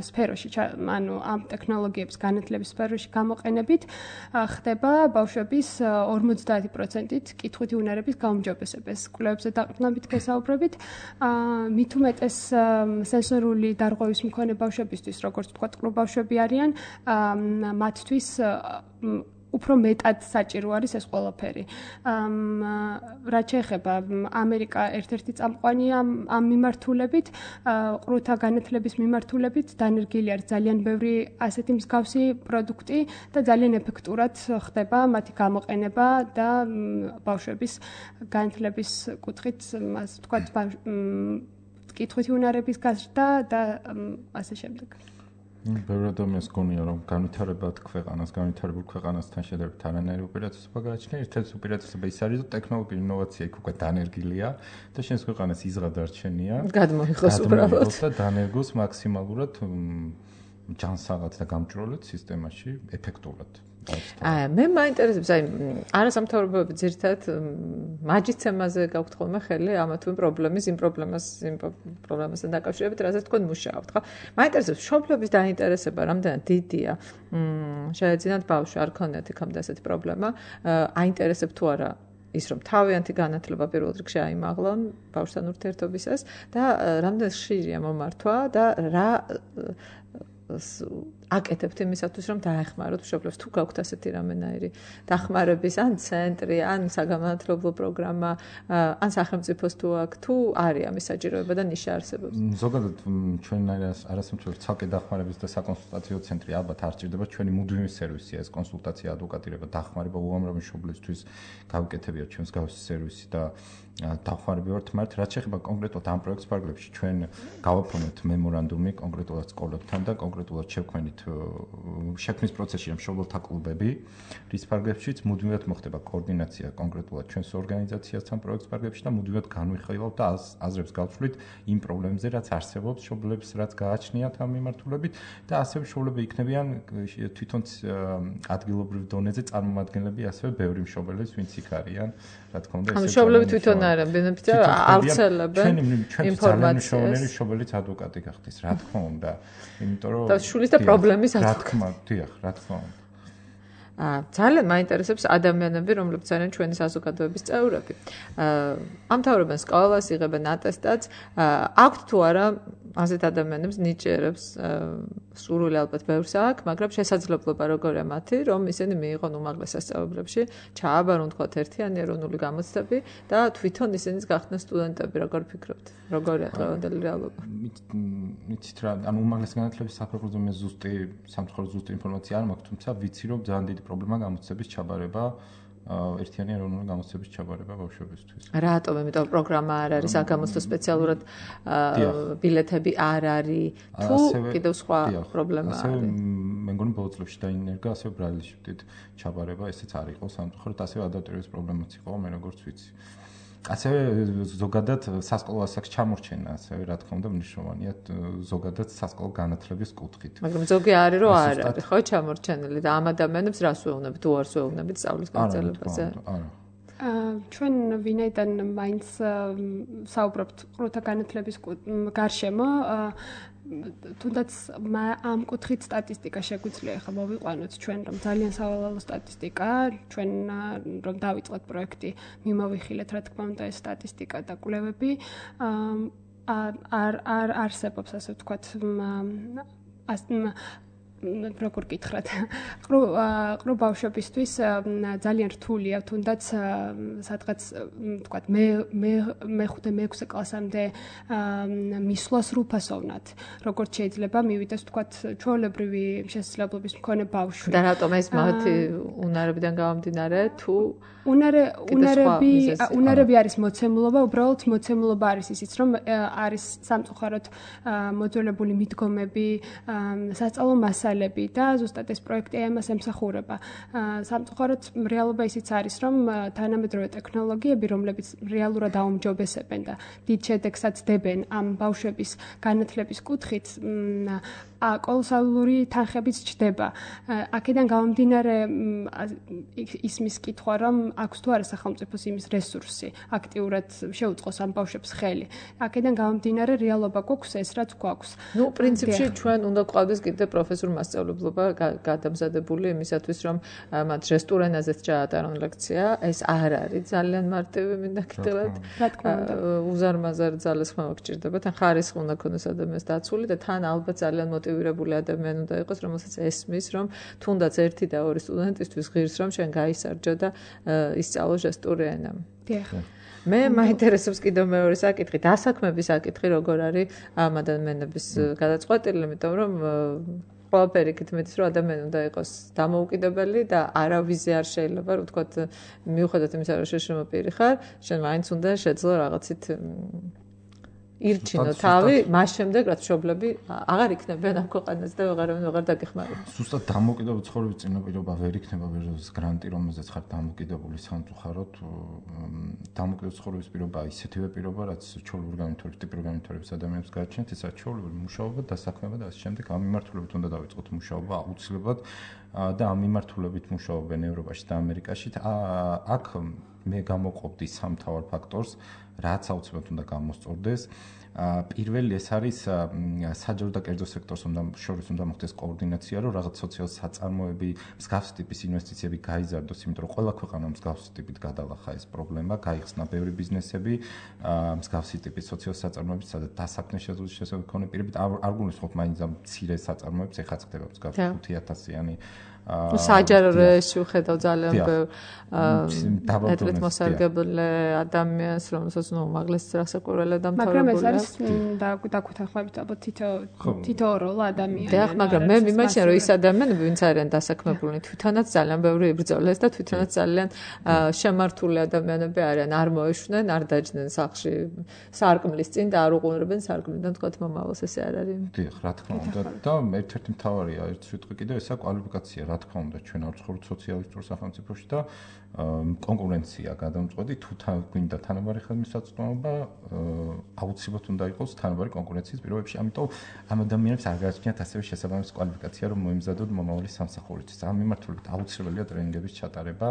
სფეროში, ანუ ამ ტექნოლოგიების განათლების სფეროში გამოყენებით ხდება ბავშვების 50%-ით კითხვითი უნარების გაუმჯობესება. ეს კვლევებზე დაყრდნობით გესაუბრებით. მით უმეტეს სენსორული დარღვევის მქონე ბავშვებისთვის, როგორც თქვა, ყრუ ბავშვები არიან, მათთვის უფრო მეტად საჭირო არის ეს ყველაფერი. რაც შეეხება ამერიკა ერთ-ერთი წამყვანია ამ მიმართულებით, ყრუთა განათლების მიმართულებით, დანერგილი არის ძალიან ბევრი ასეთი მსგავსი პროდუქტი და ძალიან ეფექტურად ხდება მათი გამოყენება და ბავშვების განათლების კუთხით, ასე ვთქვათ, კითხვითი უნარების გაზრდა და ასე შემდეგ. ბევრი ადამიანს გონია რომ განვითარებულ ქვეყანასთან შედარებით არანაირი უპირატესობა გააჩნია. ერთ-ერთი უპირატესობა ის არის, რომ ტექნოლოგიური ინოვაცია იქ უკვე დანერგილია და შენს ქვეყანას იზღა დარჩენია. გადმოიღოს უბრალოდ და დანერგოს მაქსიმალურად ჯანსაღად და გამჭროლად სისტემაში ეფექტურად. მე მაინტერესებს, არასამთავრობოები ძირითადად მაჯის თემაზე გაქვთ ხოლმე ხელი, ამა თუ იმ პრობლემასთან დაკავშირებით, რასაც თქვენ მუშაობთ, ხო? მაინტერესებს, მშობლების დაინტერესება რამდენად დიდია. შეეძინათ ბავშვი, არ ქონიათ იქამდე ასეთი პრობლემა, აინტერესებთ თუ არა ის რომ თავიანთი განათლება პირველ რიგში აიმაღლონ ბავშვთან ურთიერთობისას და რამდენად ხშირია მომართვა და რა აკეთებთ იმისათვის, რომ დაეხმაროთ მშობლებს, თუ გაქვთ ასეთი რამენაირი დახმარების ან ცენტრი, ან საგანმანათლებლო პროგრამა, ან სახელმწიფოს თუ აქვს, თუ არის ამის საჭიროება და ნიშა არსებობს. ზოგადად ჩვენ არასამთავრობო ცალკე დახმარების და საკონსულტაციო ცენტრი ალბათ არ ჭირდება, ჩვენი მუდმივი სერვისია ეს კონსულტაცია, ადვოკატირება, დახმარება უამრავი მშობლისთვის გავიკეთებიათ ჩვენს გავსი სერვისი და დახმარები ვართ, მაგრამ რაც შეეხება კონკრეტულად ამ პროექტს ფარგლებში, ჩვენ გავაფორმეთ მემორანდუმი კონკრეტულად სკოლებთან და კონკრეტულად შევქმნით შექმნის პროცესში მშობელთა კლუბები, რის ფარგლებშიც მუდმივად მოხდება კოორდინაცია კონკრეტულად ჩვენს ორგანიზაციასთან პროექტს ფარგლებში და მუდმივად განვიხილავთ და აზრებს გავცვლით იმ პრობლემებზე, რაც არსებობს მშობლებს, რაც გააჩნიათ ამ მიმართულებით და ასევე მშობლები იქნებიან თვითონ ადგილობრივ დონეზე წარმომადგენლები ასევე ბევრი მშობელის, ვინც იქ არიან, რა თქმა უნდა, ეს მშობლები თვითონ არიან, ბენეფიციარი ავრცელებენ ინფორმაციას. მშობელიც ადვოკატი გახდეს, რა თქმა უნდა, იმიტომ რომ და შულის და პრობლემის რა თქმა უნდა. ძალიან მაინტერესებს ადამიანები, რომლებიც არიან ჩვენი საზოგადოების წევრები. ამთავრებენ სკოლას, იღებენ ატესტატს, აქვთ თუ არა ასეთ ადამიანებს ნიჭიერებს სურვილი ალბათ ბევრს აქვს, მაგრამ შესაძლებლობა როგორია მათი, რომ ისინი მიიღონ უმაღლეს სასწავლებლებში, ჩააბარონ თქვათ ერთიანი ეროვნული გამოცდები და თვითონ ისინიც გახდნენ სტუდენტები, როგორ ფიქრობთ? როგორია დღევანდელი რეალობა? მიცით რა, ანუ უმაღლესი განათლების საფუძველზე მე ზუსტი ინფორმაცია არ მაქვს, თუმცა ვიცი რომ ძალიან დიდი პრობლემა გამოცდების ჩაბარება, ერთიანი ეროვნული გამოცდების ჩაბარება ბავშვებისთვის. რატომ? იმიტომ პროგრამა არ არის, საგამოცდო სპეციალურად ბილეთები არ არის, თუ კიდევ სხვა პრობლემა არის. მე მგონი ბოლო წლებში დაინერგა ასევე ბრაილის შრიფტით ჩაბარება, ესეც არ იყო სამწუხაროდ, ასევე ადაპტირების პრობლემაც იყო, მე როგორც ვიცი. ასევე ზოგადად სასკოლო ასაკს ჩამორჩენა, ასევე რა თქმა უნდა მნიშვნელოვანია ზოგადად სასკოლო განათლების კუთხით. მაგრამ ზოგი არის რომ არ არის, ხო, ჩამორჩენილი და ამ ადამიანებს რას ვეუბნებით, თუ არს ვეუბნებით სწავლის გაგრძელებაზე? ჩვენ ვინაიდან მაინც საუბრობთ ყრუთა განათლების გარშემო, თუნდაც ამ კუთხით სტატისტიკა შეგვიძლია ახლა მოვიყვანოთ ჩვენ რომ ძალიან სავალალო სტატისტიკა, ჩვენ რომ დავიწყოთ პროექტი, მიმოვიხილეთ რა თქმა უნდა ეს სტატისტიკა და კვლევები არ არსებობს ასე ვთქვათ როგორ გითხრათ, ყრუ ბავშვებისთვის ძალიან რთულია, თუნდაც სადღაც ვთქვათ მე-5-6 კლასამდე მისვლას რუფასოვნად, როგორც შეიძლება მივიდეს ვთქვათ ჩვეულებრივი შესაძლებლობის მქონე ბავშვი. და რატომ ეს მათი უნარებიდან გამომდინარე, თუ უნარები არის მოცემულობა, უბრალოდ მოცემულობა არის ისიც, რომ არის სამწუხაროდ მოძველებული მიდგომები, სასწავლო მასალა მასალები და ზუსტად ეს პროექტი ამას ემსახურება. სამწუხაროდ რეალობა ისიც არის, რომ თანამედროვე ტექნოლოგიები, რომლებიც რეალურად აუმჯობესებენ და დიდ შედეგსაც დებენ ამ ბავშვების განათლების კუთხით, კოლოსალური თანხებით ჩდება. აქედან გამომდინარე ისმის კითხვა, რომ აქვს თუ არა სახელმწიფოს იმის რესურსი აქტიურად შეუწყოს ამ ბავშვებს ხელი. აქედან გამომდინარე რეალობა გვაქვს ეს, რაც გვაქვს. ნუ პრინციპში ჩვენ უნდა გვყავდეს კიდე პროფესორ მასწავლებლობა გადამზადებული იმისათვის, რომ მათ ჟესტურ ენაზეც ჩაატარონ ლექცია. ეს არ არის ძალიან მარტივი მინდა კიდევაც. რა თქმა უნდა. უზარმაზარ ძალას ხმა გჭირდება, თან ხარისხი უნდა ქონდეს ადამიანს დაცული და თან ალბათ ძალიან მოტივირებული ადამიანი უნდა იყოს, რომელსაც ესმის, რომ თუნდაც 1 და 2 სტუდენტისთვის ღირს, რომ შენ გაისარჯო და ისწავლო ჟესტური ენა. დიახ. მე მაინტერესებს კიდევ მეორე საკითხი, დასაქმების საკითხი, როგორ არის ამ ადამიანების გადაწყვეტილი, იმიტომ რომ ყველაფერი იქით მეტის, რომ ადამიანი უნდა იყოს დამოუკიდებელი და არავის არ შეიძლება, რომ ვთქვათ, მიუხედავად იმისა, რომ შეშმო პირი ხარ, შენ მაინც უნდა შეძლო რაღაცით ირჩინო თავი, მას შემდეგ რაც მშობლები აღარ იქნებიან ამ ქვეყანაზე და ვეღარ დაგეხმარებიან. ზუსტად დამოუკიდებელი ცხოვრების წინაპირობა ვერ იქნება ვეროს გრანტი, რომელზეც ხარ დამოუკიდებელი სამწუხაროდ. დამოუკიდებელი ცხოვრების პირობა ისეთივე პირობა, რაც ჩვეულებრივ განვითარების ტიპურ განვითარების ადამიანებს გააჩნიათ, ესაც ჩვეულებრივ მუშაობა, დასაქმება და ასე შემდეგ. ამ მიმართულებით უნდა დავიწყოთ მუშაობა აუცილებლად და ამ მიმართულებით მუშაობენ ევროპაში და ამერიკაში. აქ მე გამოვყოფდი სამ მთავარ ფაქტორს, რაც აუცილებლად უნდა გამოსწორდეს. პირველი ეს არის საჯარო და კერძო სექტორს შორის უნდა მოხდეს კოორდინაცია, რომ რაღაც სოციალური საწარმოები, მსგავსი ტიპის ინვესტიციები გაიზარდოს, იმიტომ რომ ყველა ქვეყანა მსგავსი ტიპით გადალახა ეს პრობლემა, გაიხსნა ბევრი ბიზნესები, მსგავსი ტიპის სოციალური საწარმოები, სადაც დასაქმების შესაძლებლობა მქონე პირებით არ გულისხმობ მაინც ამ მცირე საწარმოებს, ეხლა ხდება მსგავსი 5000-იანი საჯარო რეჟიმში ვხედავ ძალიან მეტად მოსარგებლე ადამიანს, რომელსაც უმაღლეს რასაკურველე დამთავრებული. მაგრამ ეს არის დაგვეთანხმებით ალბათ თითო როლ ადამიანი. დიახ, მაგრამ მე მიმაჩნია, რომ ის ადამიანები, ვინც არიან დასაქმებულნი, თვითონაც ძალიან ბევრი იბრძოლეს და თვითონაც ძალიან შემართული ადამიანები არიან. არ მოეშვნენ, არ დაჯდნენ სახლში სარკმლის წინ და არ უყურებენ სარკმლიდან თქვათ მომავალს, ესე არ არის. დიახ, რა თქმა უნდა. და ერთ-ერთი მთავარია, ერთ სიტყვი კიდევ ესა კვალიფიკაცია. რა თქმა უნდა, ჩვენ არ ვცხოვრობთ სოციალისტურ სახელმწიფოში და კონკურენცია გადამწყვეტი, თუ გვინდა თანაბარი ხელმისაწვდომობა, აუცილებლად უნდა იყოს თანაბარი კონკურენციის პირობებში. ამიტომ ამ ადამიანებს არ გააჩნიათ ასევე შესაბამისი კვალიფიკაცია, რომ მოემზადოთ მომავალი სამსახურისთვის. ამ მიმართულებით აუცილებელია ტრენინგების ჩატარება,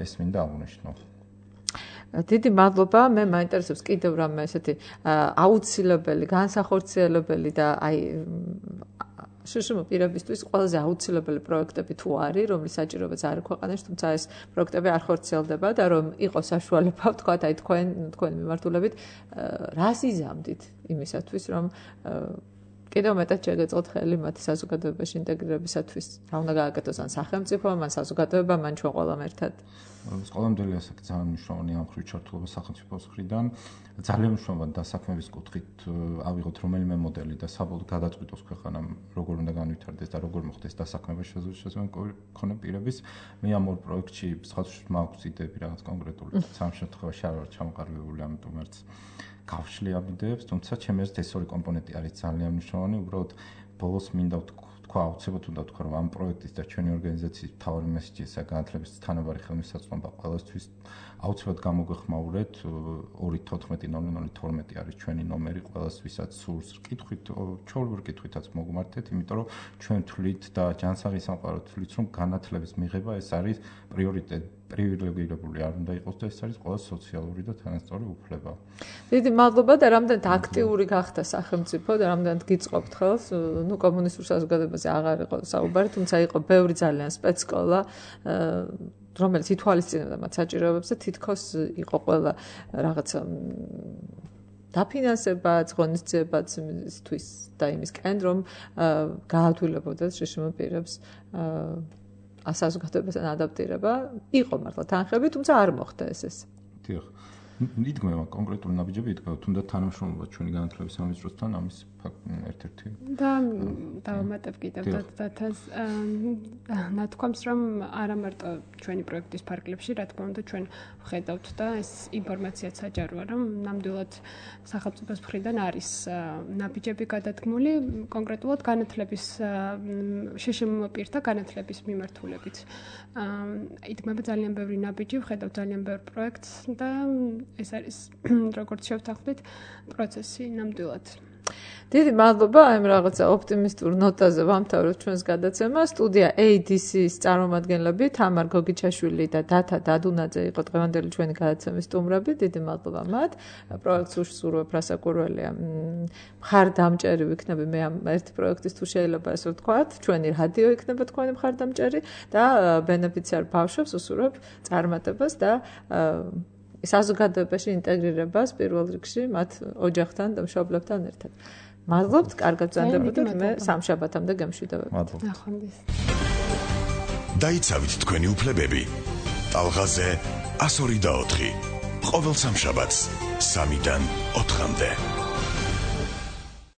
ეს მინდა აღვნიშნო. დიდი მადლობა, მე მაინტერესებს კიდევ რამე ესეთი აუცილებელი, განსახორციელებელი და აი შეშმო პირებისთვის ყველაზე აუცილებელი პროექტები თუ არის, რომლის საჭიროებაც არ ქვეყანაში, თუმცა ეს პროექტები არ ხორციელდება და რომ იყოს საშუალება, ვთქვათ, აი თქვენი მიმართულებით, რას იზამდით იმისათვის, რომ კიდევ მეტად შეგეწყოთ ხელი მათი საზოგადოებაში ინტეგრირებისათვის. რა უნდა გააკეთოს ან სახელმწიფომ, ან საზოგადოებამ, ან ჩვენ ყველამ ერთად. ყველამდელი ასაკი ძალიან მნიშვნელოვანია ამ ხრით ჩართულობა სახელმწიფოს მხრიდან. ძალიან მნიშვნელოვანია დასაქმების კუთხით ავიღოთ რომელიმე მოდელი და საბოლოოდ გადაწყვიტოს ქვეყანამ როგორ უნდა განვითარდეს და როგორ მოხდეს დასაქმება შესაძლებელი მქონე პირების. მე ამ ორ პროექტში სხვადასხვა მაქვს იდეები რაღაც კონკრეტული. სამ შემთხვევაში არ ვარ ჩამოყალიბებული, ამიტომ არც გავშლი ამ იდეებს, თუმცა ჩემი აზრით ეს ორი კომპონენტი არის ძალიან მნიშვნელოვანი. უბრალოდ ბოლოს მინდა თქვა, აუცილებლად უნდა თქვა, რომ ამ პროექტის და ჩვენი ორგანიზაციის მთავარი მესიჯი ესა განათლების თანაბარი ხელმისაწვდომობა ყველასთვის. აუცილებლად გამოგვეხმაურეთ 2140012 არის ჩვენი ნომერი, ყველას ვისაც სურს კითხვით, ჩვეულებრივ კითხვითაც მოგმართეთ, იმიტომ რომ ჩვენ თვლით და ჯანსაღი სამყარო თვლით, რომ განათლების მიღება ეს არის პრიორიტეტი. პრივილეგირებული არ უნდა იყოს და ეს არის ყველა სოციალური და თანასწორი უფლება. დიდი მადლობა და რამდენად აქტიური გახდა სახელმწიფო და რამდენად გიწყობთ ხელს, ნუ კომუნისტურ საზოგადოებაზე აღარ იყო საუბარი, თუმცა იყო ბევრი ძალიან სპეცსკოლა, რომელიც ითვალისწინებდა მათ საჭიროებებს და თითქოს იყო ყველა რაღაცა დაფინანსებაც, ღონისძიებაც იმისთვის და იმისკენ, რომ გაათვლილებოდათ შეშმო პირებს საზოგადოებასთან ადაპტირება. იყო მართლა თანხები, თუმცა არ მოხდა ეს. დიახ. იდგმება კონკრეტული ნაბიჯები, იდგმება თუნდაც თანამშრომლობა ჩვენი განათლების სამინისტროსთან ამის ერთ-ერთი და დავამატებ კიდევ დათას ნათქვამს რომ არა მარტო ჩვენი პროექტის ფარგლებში რა თქმა უნდა ჩვენ ვხედავთ და ეს ინფორმაციაც საჯაროა რომ ნამდვილად სახელმწიფოს მხრიდან არის ნაბიჯები გადადგმული კონკრეტულად განათლების შშმ პირთა განათლების მიმართულებით იდგმება ძალიან ბევრი ნაბიჯი ვხედავთ ძალიან ბევრ პროექტს და ეს არის როგორც შევთანხმდით პროცესი ნამდვილად დიდი მადლობა ამ რაღაცა ოპტიმისტურ ნოტაზე ვამთავრებთ ჩვენს გადაცემას სტუდია ADC-ის წარმომადგენლები თამარ გოგიჩაშვილი და დათა დადუნაძე იყო დღევანდელი ჩვენი გადაცემის სტუმრები დიდი მადლობა მათ პროექტს უშურვებ რასაკვირველია მხარდამჭერი ვიქნები მე ამ ერთ პროექტის თუ შეიძლება ესე ვთქვათ ჩვენი რადიო იქნება თქვენი მხარდამჭერი და ბენეფიციარ ბავშვებს უსურვებ წარმატებას და საზოგადოებაში ინტეგრირებას პირველ რიგში მათ ოჯახთან და მშობლებთან ერთად. მადლობთ, კარგად ბრძანდებოდეთ, მე სამშაბათამდე გემშვიდობებით. ნახვამდის. დაიცავით თქვენი უფლებები. ტალღაზე 102 და 4. ყოველ სამშაბათს 3-დან 4-მდე.